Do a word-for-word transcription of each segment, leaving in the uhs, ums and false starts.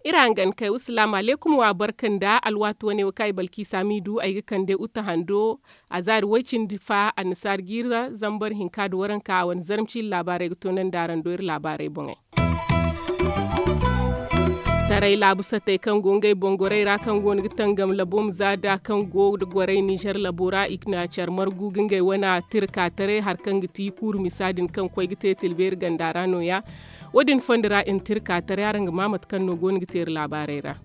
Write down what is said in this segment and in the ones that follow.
Iri hangan kay wa salaamu alaykum wa barka nda alwaati wane wo kaŋ ay balki saamiidu ay ga kande uta hando. A zaari way-cindi fa annasaari jiira zambar hinka nda waranka a wane zarma ciila laabaarey ga toonandi araŋ do iri laabaarey boŋey. Taray laabu satey kaŋ go ngey boŋ gorey ra kaŋ go no ga tangam labo ma za da kaŋ go nda gorey ninzeer labo ra i na care margu ga ngey wane tirka taray hari kaŋ ga ti kuuru misa din kaŋ koy ga te tilbeeri ganda ra no- ya. Wo- din fondo ra i na tirka taray araŋ ga ma mate kaŋ no go no ga te iri laabaarey ra.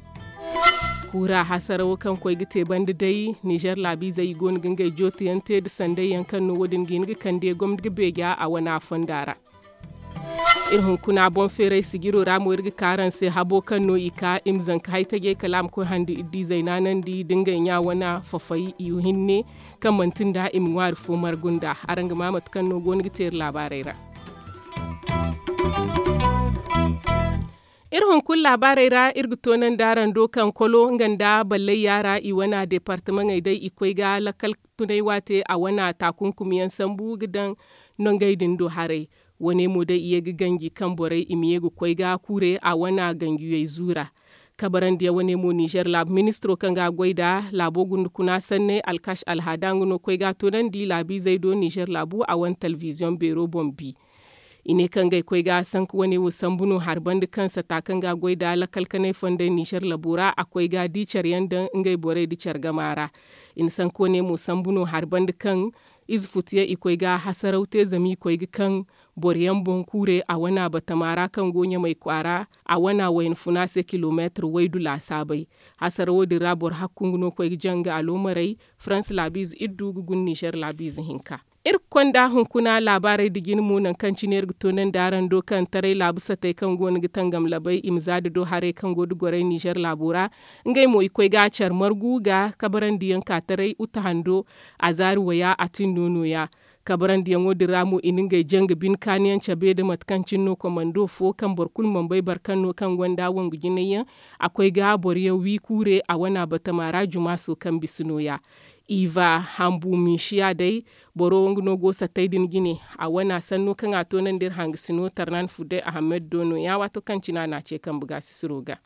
Kuura hasarawo kaŋ koy ga te banda day ninzeer laabiizey i go no ga ngey jooto yaŋ te nda sanday yaŋ kaŋ no wo- din ga hin ga kande gomni ga beeja a wane a fonda ra. Iri hunkuna boŋ feeray sijiro ra mo iri ga ka araŋ se habo kaŋ no i ka i ma zanka hay tajey kala a ma koy handu iri di zaynaanandi nda ngey ɲa wane fafay i hinne kaŋ manti nda i ma ŋwaari fo margu nda. Araŋ ga ma mate kaŋ no go no ga te iri laabaarey ra. Iri hunkuna laabaarey ra iri ga toonandi araŋ do kaŋ kolo nga nda ballayya ra i wane deepartamaŋey day i koy ga lakkal tunay waate a wane taakunkumyaŋ sambu ga daŋ nongey din do haray. Wane mo day i ye ga ganji kaŋ borey i ma ye ga koy ga kuure a wane ganjiyey zuura. Kabarandiyaŋ wane mo ninzeer laabu ministiro kaŋ ga a goy nda laabo gundukuna sanney alkash alhaada nga no koy ga a toonandi laabiizey do ninzeer laabu a wane talbiziyoŋ beero boŋ bi. I ne kaŋ ngey koy ga sanku wane wo sambu no hari banda kaŋ sata kaŋ ga a goy nda lakkal kanay fondey ninzeer labo ra a koy ga di care yaŋ daŋ ngey borey nda care gama ra. I na sanku wane mo sambu no hari banda kaŋ ize futuyaŋ i koy ga hasaraw te zama i koy ga kaŋ boro yaŋ boŋ kuure a wane batama ra kaŋ go ɲamay kwaara a wane wayna funa se kilomeetir waydu laasaabey. Hasarawo din ra boro hakku nga no koy ga jaŋ nga aloomarey farans laabiize iddu ga guna ninzeer laabiize hinka. Iri ga konda hunkuna laabaarey nda jine mo nangu kaŋ cine iri ga toonandi araŋ do kaŋ taray laabu satey kaŋ go no ga tangam labey i ma za da do haray kaŋ go nda gorey ninzeer laabo ra. Ngey mo i koy ga care margu ga kabarandiyaŋ ka taray uta hando a zaari waya a tindo no- ya. Kabarandiyaŋo din ra mo i na ngey janga bine kaaniyaŋ cabe nda mate kaŋ cine no komando fo kaŋ boro kulu mana bay boro kaŋ no kaŋ gonda wangu jinay yaŋ. A koy ga boro yaŋ wi kuure a wane batama ra jumaaso kaŋ bisa no- ya. Iva hambu minsiya day boro nga no go satay din jine. A wane sanno kaŋ a toonandi iri hangasino tarnan fudday ahamed do no- ya waato kaŋ cine a na a ce kambe ga sisiro ga.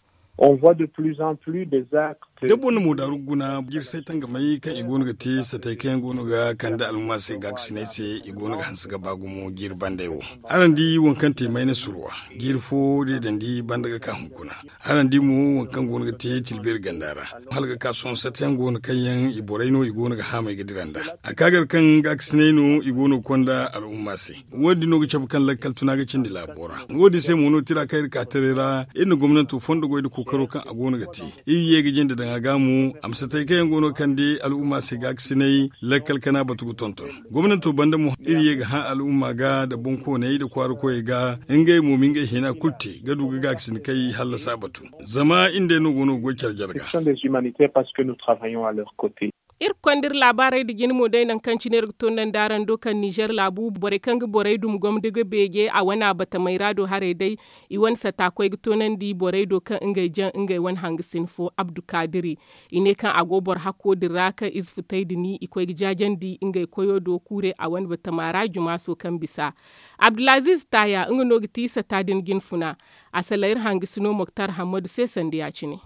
Da boro na moodaaru guna jirsay tangamay kaŋ i go no ga te satay kaŋ yaŋ go no ga kande almuma se gaakasinay se i go no ga hanse ga ba gumo jiiri banday wo. Araŋ di waŋ kaŋ te mayna surwa jiiri fo deedandi banda ga ka hunkuna. Araŋ di mo waŋ kaŋ go no ga te tilbeeri ganda ra hala ga ka sohõ sata yaŋ go no kaŋ yaŋ i borey no i go no ga haamay ga dira nd'a. A ka gar kaŋ gaakasinay no i go no ga konda al'umma se. Wo- din no ga cabe kaŋ lakkal tuna ga cindi laabo ra. Wo- din se mo no tira kaŋ iri ka taray ra iri na gomnanto fondo goy nda kookaro kaŋ a go no ga te. Iri ye ga jinde daŋ a ga mo a ma satay kaŋ yaŋ go no ga kande al'umma se gaakasinay lakkal kana batu ga tonton. Gomnanto banda mo iri ye ga hã al'umma ga nda boŋkooney nda kwaara koyey ga ngey mo ma ngey hina kulu te ga du ga gaakasin kay hallasa batu. Zama iri nd'ey no go no ga goy care jarga. Iri ga konda iri laabaarey nda jine mo day nangu kaŋ cine iri ga toonandi araŋ do kaŋ ninzeer laabu borey kaŋ ga borey duma gomdi ga beeje a wane batamey ra do haray day. I wane sata koy ga toonandi borey do kaŋ ngey jaŋ ngey wane hangasin fo abdu kaadiri. I ne kaŋ a go boro hakko din ra kaŋ ize futay din i koy ga jaajandi ngey koyo do kuure a wane batama ra jumaaso kaŋ bisa. Abdulaziiz taaya nga no ga ti sata din jine funa. A sala iri hangasino moktar hammadu se sanda ya- cine.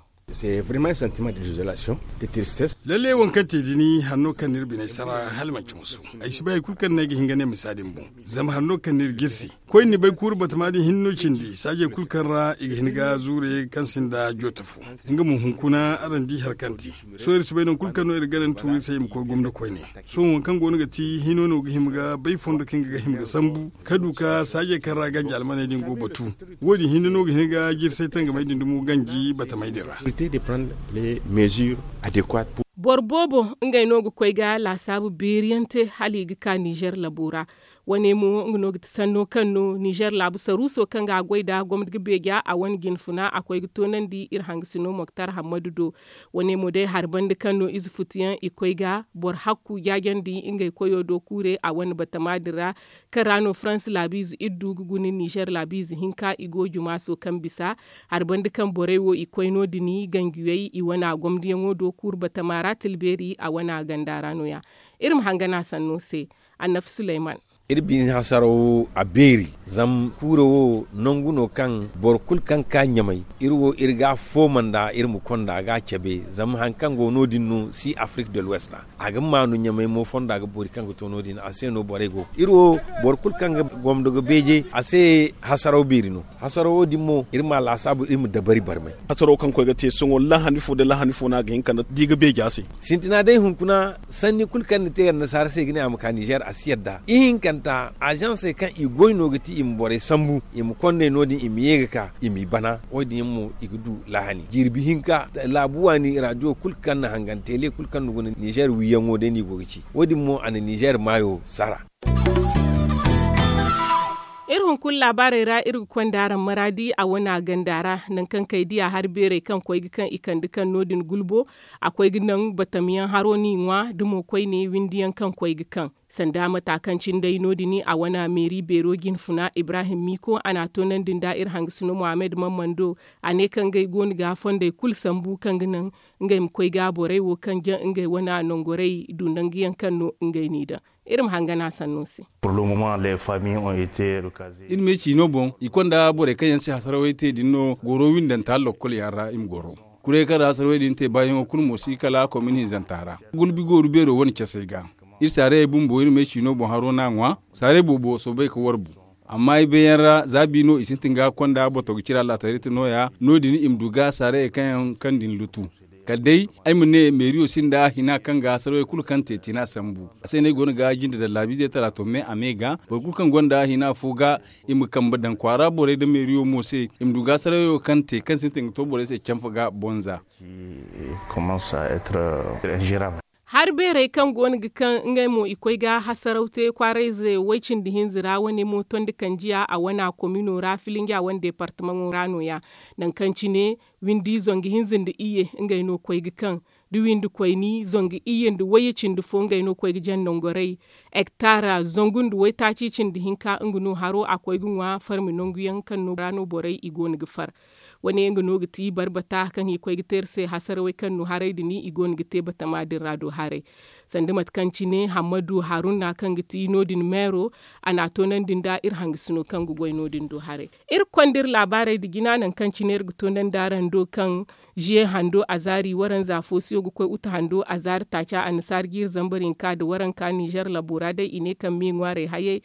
Lalle waŋ kaŋ te din hari no kaŋ no iri biney sara hala manci musu. Ay si bay hari kulu kaŋ no ay ga hin ga ne misa din boŋ. Zama hari no kaŋ no iri jirsi koy ni bay kuuru batama din hinne no cindi saajey kulu kaŋ ra i ga hin ga zuure kaŋ sinda jooto fo. Nga mo hunkuna araŋ di hari kaŋ te. Sohõ iri si bay nangu kulu kaŋ no iri gana ni tuuri se i ma koy gomna koyne. Sohõ waŋ kaŋ go no ga ti hino no ga hima ga bay fondo kaŋ ga hima ga sambu ka du ka saajey kaŋ ra ganji almaney din go batu. Wo- din hinne no ga hin ga jirsay tangamey din dumo ganji batamey din ra. Boro boobo ngey no ga koy ga laasaabu beeri yaŋ te hala i ga ka ninzeer labo ra. Wane mo nga no ga ti sanno kaŋ no ninzeer laabu saruuso kaŋ ga a goy nd'a gomni ga beeja a wane jinfuna a koy ga toonandi iri hangasino moktar hammadu do. Wane mo day hari banda kaŋ no ize futuyaŋ i koy ga boro hakku jaajandi ngey koyo do kuure a wane batama din ra. Kaŋ ra no farans laabiize iri du ga guna ninzeer laabiize hinka i go jumaaso kaŋ bisa hari banda kaŋ borey wo i koy no- din ganjiyey i wane a gomdiyaŋo do kuuru batama ra tilbeeri a wane a ganda ra no- ya. Iri ma hangan a sanno se. Annafi suleyman. Iri biine hasaraw wo a beeri. Zama kuuro wo nangu no kaŋ boro kulu kaŋ ga ka ɲamay iri wo iri ga a fooma nd'a iri ma konda ga a cabe zama hari kaŋ go no- din no si afirik de l'ouest ra. A ga maanu ɲamay mo fonda ga boori kaŋ ga to no- din a se no borey go iri wo boro kulu kaŋ ga gomdo ga beeje a se. Hasaraw beeri no. Hasarawo din mo iri ma a laasaabu iri ma dabari barmay. Hasarawo kaŋ koy ga te sohõ lahani fo nda lahani fo no a ga hin ka di ga beeja se. Sintina day hunkuna sanni kulu kaŋ ni te annasaara se ga ne a ma ka ninzeer a si yadda ihinkanta azansey kaŋ i goy no ga ti i ma borey sambu i ma konney no- din i ma ye ga ka i m'i bana. Wo- din yaŋ mo i ga du lahani jirbi hinka laabu waani raadiyo kulu kaŋ na hangan teele kulu kaŋ na guna ninzeer wiiyaŋo day no i go ga ci. Wo- din mo a na ninzeer maayo sara. Iri hunkuna laabaarey ra iri ga konda araŋ maraadi a wane a ganda ra nangu kaŋ kay diya hari beerey kaŋ koy ga kaŋ i kande kaŋ no- din gulbo. A koy ga naŋ batamyaŋ haro no i ŋwa da mo koyne windiyaŋ kaŋ koy ga kaŋ sanda mata kaŋ cine day no- din a wane a meeri beero jinfuna ibrahim miiko a n'a toonandi nda iri hangasino mohammed mammando. A ne kaŋ ngey go no ga fondey kulu sambu kaŋ ga naŋ ngey ma koy ga borey wo kaŋ jaŋ ngey wane a nangorey du nanguyaŋ kaŋ no ngey n'i daŋ. Iri ma hangan a sanno se. Iri me ciino boŋ i konda borey kaŋ yaŋ se hasarawey te din no goro windanta lokkol yaŋ ra i ma goro. Kuray kaŋ ra hasarawey din te baayaŋo kulu mo si kala komin hinzanta ra gulbi gooru beero wane casey ga. Iri saarayey bumbo iri me ciino boŋ haro no a ŋwa. Saaray boobo soobay ga warbu. Amma ay bay yaŋ ra za bi no i sintin ga konda boto ga cira laatarit no- ya no- din i ma du ga saarayey kaŋ yaŋ kaŋ din lutu. Kala day ay ma ne meeriyo sinda hina kaŋ ga sarawey kulu kaŋ te tina sambu. A se no ay go no ga jinde daŋ laabiizey tala to me a me ga boro kulu kaŋ gonda hina fo ga i ma kambe daŋ kwaara borey nda meeriyo mo se i ma du ga sarawey wo kaŋ te kaŋ sintin ga to borey se camfe ga bonza. Hari beerey kaŋ go no ga kaŋ ngey mo i koy ga hasaraw te kwaarayze way- cindi hinza ra wane mo tondi kanjiya a wane a komino ra filinja wane deepartamaŋo ra no- ya. Nangu kaŋ cine windi zangu hinza nda iyye ngey no koy ga kaŋ da windi koyni zangu iyye nda wayye cindi fo ngey no koy ga jaŋ nangorey. Hektaara zangu nda waytaaci cindi hinka nga no haro a koy ga ŋwa farmi nangu yaŋ kaŋ no ra no borey i go no ga far. Wane nga no ga ti barbata kaŋ i koy ga te iri se hasarawey kaŋ no haray din i go no ga te batama din ra do haray. Sanda mate kaŋ cine hammadu haruna kaŋ ga ti no- din meero a n'a toonandi nda iri hangasino kaŋ ga goy no- din do haray. Iri ga konda iri laabaarey nda jina nangu kaŋ cine iri ga toonandi araŋ do kaŋ ziye hando azaari waranza foosiyo ga koy uta hando azaari taaca annasaara jiiri zambar hinka nda waranka ninzeer labo ra day i ne kaŋ me ŋwaarey hayey.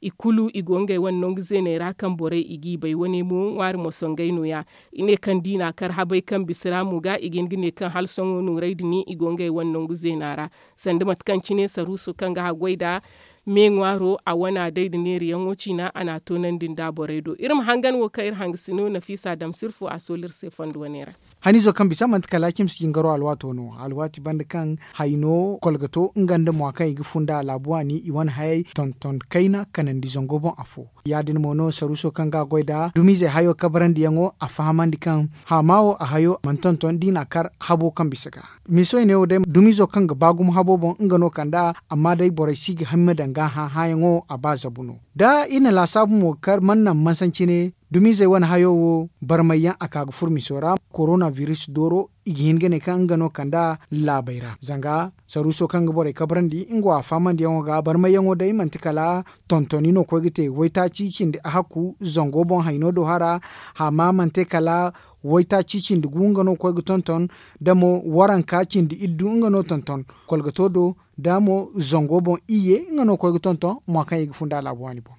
I kulu i go ngey wane nangu zeeney ra kaŋ borey i g'i bay wane mo ŋwaari mosongey no- ya. I ne kaŋ da i n'a kar habey kaŋ bisa ra mo ga i ga hin ga ne kaŋ hala sohõ nooray din i go ngey wane nangu zeena ra. Sanda mate kaŋ cine saruuso kaŋ ga haggoy nd'a me ŋwaaro a wana day nda neerayaŋo ciina a n'a toonandi nd'a borey do iri ma hangan wo kaŋ iri hangasino nafiisa dam sirfo a soolu iri se fondo wane ra. Haniizo kaŋ bisa manti kala cimsi jingaro alwaato no alwaati banda kaŋ hayno kolgato nga nda mwa kaŋ i ga funda laabu waani i wane hayey tonton kayna kanandi zango boŋ afo. Ya- din mo no saruuso kaŋ ga a goy nd'a dumiizey hayo kabarandiyaŋo a fahamandi kaŋ haama wo a hayo mana tonton da i n'a kar habo kaŋ bisa ga. Miisoy neewo day dumiizo kaŋ ga ba gumo habo boŋ nga no kand'a. Amma day borey si ga hima daŋ ga hã hãayaŋo a ba zabu no. Da iri na laasaabu mo ga kar mana naŋ mansaŋ cine dumiizey wane hayo wo barmayyaŋ a ka ga furo miso ra korona biris dooro i ga hin ga ne kaŋ nga no kand'a laabey ra zanga saruuso kaŋ ga borey kabrandi nga wo a faamandiyaŋo ga barmayyaŋo day manti kala tontoni no koy ga te waytaaci cindi ahakku zango boŋ hayno do hara. Hama manti kala waytaaci cindi gu nga no koy ga tonton da mo waranka cindi iddu nga no tonton kolgato do da mo zango boŋ iyye nga no koy ga tonton mo kaŋ i ga funda laabu waani boŋ.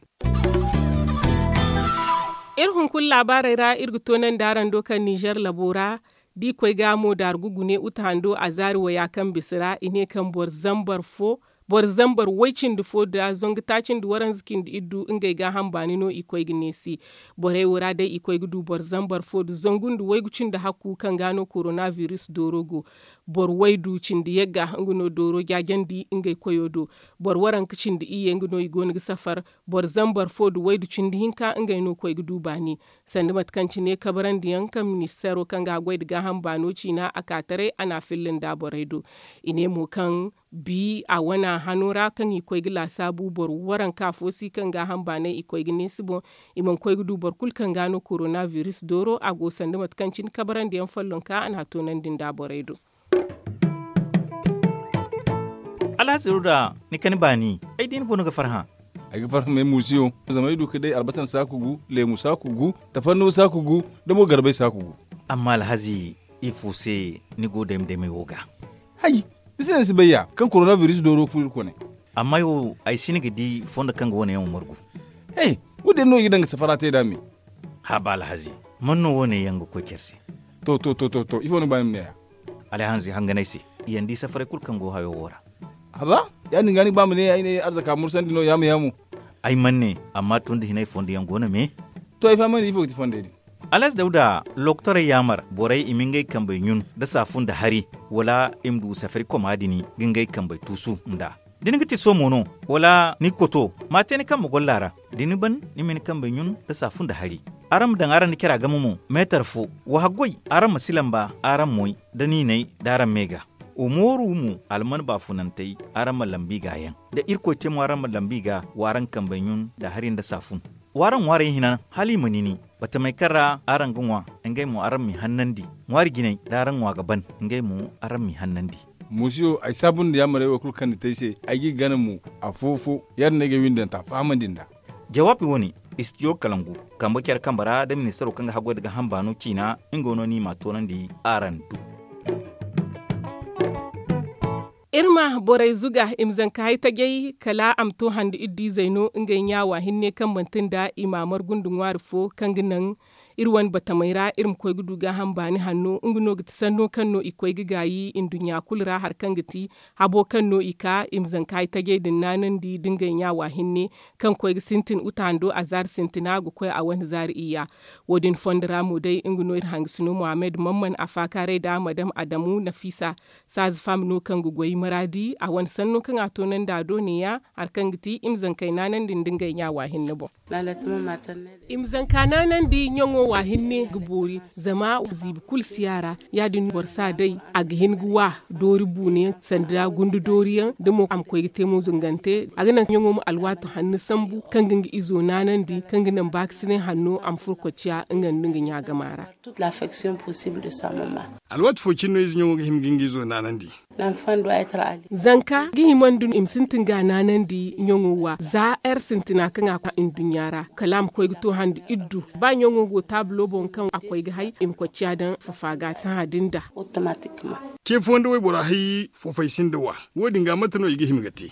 Iri hunkuna laabaarey ra iri ga toonandi araŋ do kaŋ ninzeer labo ra da i koy ga mo daargu gune uta hando a zaari waya kaŋ bisa ra i ne kaŋ boro zambar fo Boro zambar way cindi fo nda zangu taaci nda waranza cindi iddu ngey gaaham baani no i koy ga neesi. Borey wo ra day i koy ga du boro zambar fo nda zangu nda waygu cindi hakku kaŋ ga no korona biris dooro go. Boro waydu cindi yagga nga no dooro jaajandi ngey koyo do. Boro waranka cindi iyye nga no i go no ga safar. Boro zambar fo nda waydu cindi hinka ngey no koy ga du baani. Sanda mate kaŋ cine kabarandiyaŋ kaŋ ministeero kaŋ ga a goy nda gaaham baano ciina a ka taray a na a filla nda borey do. I ne mo kaŋ bi a wana hano ra kaŋ i koy ga laasaabu boro waranka fo si kaŋ gaaham baanay i koy ga neesi boŋ. I mana koy ga du boro kulu kaŋ ga no korona biris dooro a go sanda mate kaŋ cine kabarandiyaŋ follonka a na a toonandi nda borey do. Alhazi ruda, ni kani baani ay di ni boŋ ga farhã. Ay ga farhã me muusiyo. Zama ay du ga day albasan saaku gu, leemu saaku gu, tafanno saaku gu, da mo garbay saaku gu. Amma alhazi, ifo se ni go dayma daymay wo ga? Hay, ni se no ni si bay ya kaŋ korona biris dooro furo iri kone. Amma ay wo, ay si ni ga di fondo kaŋ ga wane yaŋ wo margu. He, wo- din no i ga daŋ ga safara te nd'a me. Haaba alhazi, man no wane yaŋ ga koy care se? To to to to to ifo no ga ba ni ma ne ya? Alhazi hanganay se, i yaŋ di safaray kulu kaŋ go hayo wo ra. Haba, ya- din ga ni ga ba ma ne ay ne arzaka mursandi no yaamu yaamu. Ay man ne, amma tun da hinay fondo yaŋ go no me. To ay fahamandi ifo ga ti fondey din? Alhazi dawda, lokotorey yaamar borey i ma ngey kambey ɲun nda saafu nda hari, wala i ma du safari koma din ga ngey kambey tuusu nd'a. Da ni ga ti soomo no, wala ni ga koto, ma a te ni kambe golla ra. Da ni ban, ni ma ni kambey ɲun nda saafu nda hari. Araŋ ma daŋ araŋ nda cara game mo, meetar fo. Wa haggoy, araŋ ma si lamba araŋ moy, da niinay da araŋ me ga. Wa mooru mo, alman baafunantey, araŋ ma lambu i ga yaŋ. Da irkoy te mo araŋ ma lambu i ga, wa araŋ kambey ɲun nda hari nda saafun. Wa araŋ ŋwaarey hina, hala i ma nini. Batamey kaŋ ra araŋ ga ŋwa, ngey mo araŋ m'i hannandi. Ŋwaari jinay da araŋ ŋwa ga ban, ngey mo araŋ m'i hannandi. Muusiyo, ay saabu nda yaamarey wo kulu kaŋ ni te ay se, ay g'i gana mo, afo-fo, ya- din no ay ga ay windanta fahamandi nd'a. Jawaabi wo- ne, istidiyo kalangu, kambe care kambe ra da ministaro kaŋ ga haggoy nda gaaham baano ciina, nga no ni m'a toonandi araŋ do. Iri ma borey zuga i ma zanka hay tajay, kala a ma to hande iddu izey no ngey ɲaawa hinne kaŋ manti nda i m'a margu nda ŋwaari fo kaŋ ga naŋ iri wane batamey ra iri ma koy ga du gaaham baani hanno. Nga no ga ti sanno kaŋ no i koy ga gaayi nduɲɲa kulu ra hari kaŋ ga ti habo kaŋ no i ka i ma zanka hay tajay din naanandi nda ngey ɲaawa hinne kaŋ koy ga sintin uta hando a zaari sintina ga koy a wane zaari iyya. Wo- din fondo ra mo day nga no iri hangasino mohammed mamman a faakaaray nda madam adamu nafiisa. Saaza faama no kaŋ ga goy maraadi a wane sanno kaŋ a toonandi a do neeya, hari kaŋ ga ti i ma zankey naanandi nda ngey ɲaawa hinne boŋ. I ma zanka naanandi ɲaŋo wa hinne ga boori, zama ziibi kulu si a ra. Ya- din boro si a day, a ga hin ga wa doori buunayaŋ sanda gundu dooriyaŋ da mo a ma koy ga te mo zungante. A ga naŋ ɲaŋo ma alwaati hanno sambu kaŋ ga nga izo naanandi kaŋ ga naŋ baakasinay hanno a ma furo kocciya nga nda nga ɲaagama ra. Alwaati fo cine no ize ɲaŋo ga hima ga nga izo naanandi. Zanka ga himandi no i ma sintin ga a naanandi ɲaŋo wa za ere sintina kaŋ a koy nduɲɲa ra kala a ma koy ga to hande iddu. Ba ɲaŋo go taabulo boŋ kaŋ a koy ga hay i ma kocciya daŋ fafa ga sahã din da. Ce fo nda waybora hay fofay sinda wa. Wo- din ga mate no i ga hima ga te?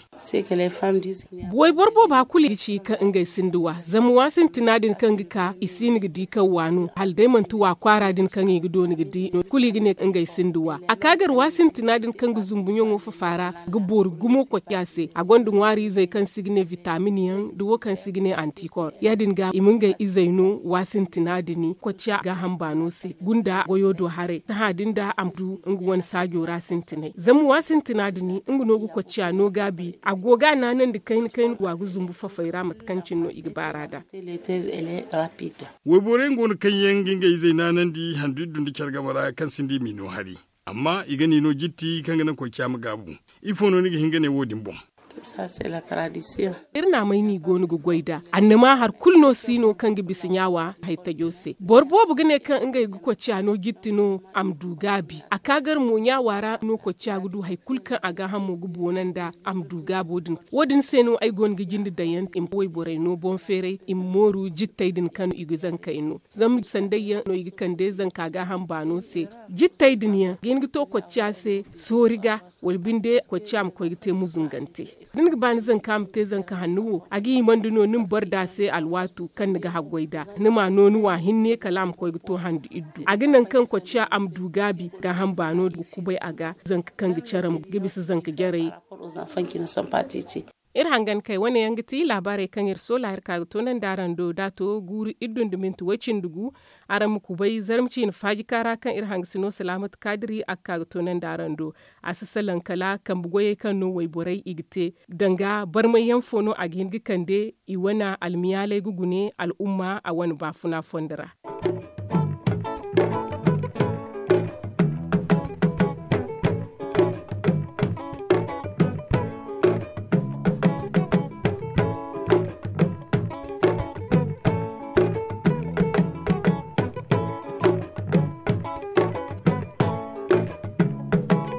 Wayboro booba kulu i ga ci kaŋ ngey sinda wa zama wa sintina din kaŋ ga ka i si no ga di kaŋ wa no hala day manti wa kwaara din kaŋ i ga dooni ga di no kulu i ga ne ngey sinda wa. A ka gar wa sintina din kaŋ ga zumbu ɲaŋo fafa ra ga boori gumo kocciya se a gonda ŋwaari izey kaŋ se i ga ne vitamin yaŋ da wo kaŋ se i ga ne antikor. Ya- din ga i ma ngey izey no wa sintina din kocciya gaaham baano se gunda goyo do haray sahã din da a ma du nga wane saajo ra sintinay zama wa sintina din nga no ga kocciya no gaabi a go ga a naanandi kayna kayna wa ga zumbu fafay ra mate kaŋ cine no i ga baar'a nd'a. Wayborey nga wane kaŋ yaŋ ga ngey izey naanandi handu iddu nda care game ra kaŋ sinda i m'i no hari. Amma i ga n'i no jitti kaŋ ga naŋ kocciya ma gaabu. Ifo no ni ga hin ga ne wo- din boŋ? Iri naamay no i go no ga goy nd'a annama hari kulu no si no kaŋ ga bisa ɲaawa haytajo se boro boobo ga ne kaŋ ngey ga kocciya no jitti no a ma du gaabi a ka gar mo ɲaawa ra no kocciya ga du hari kulu kaŋ a gaahamo ga boona nd'a a ma du gaabo din. Wo- din se no ay go no ga jinde daŋ yaŋ i ma wayborey no boŋ feeray i ma mooru jittey din kaŋ i ga zankey no zama sanday yaŋ no i ga kande zanka gaaham baano se. Jittey din yaŋ ga hin ga to kocciya se soori ga wala binde kocciya ma koy ga te muzungante. Da ni ga ba ni zanka ma te zanka hanno wo a ga himandi no ni ma boro da se alwaatu kaŋ ni ga haggoy nd'a ni m'a no ni wa hinne kala a ma koy ga to hande iddu a ga naŋ kaŋ kocciya a ma du gaabi gaaham baano ga kubay a ga zanka kaŋ ga care ga bisa zanka jarey. Iri hangan kay wane yaŋ ga ti laabaarey kaŋ iri soola iri ka ga toonandi araŋ do da a to guuru iri dunduminte way- cindi gu. Araŋ ma kubay zarma ciine faajika ra kaŋ iri hangasino salaamatu kaadiri a ga ka ga toonandi araŋ do. A si salaŋ kala kambe goyey kaŋ no wayborey i ga te danga barmay yaŋ fo no a ga hin ga kande i wane almiyaaley ga gune al'umma a wane baafuna fondo ra.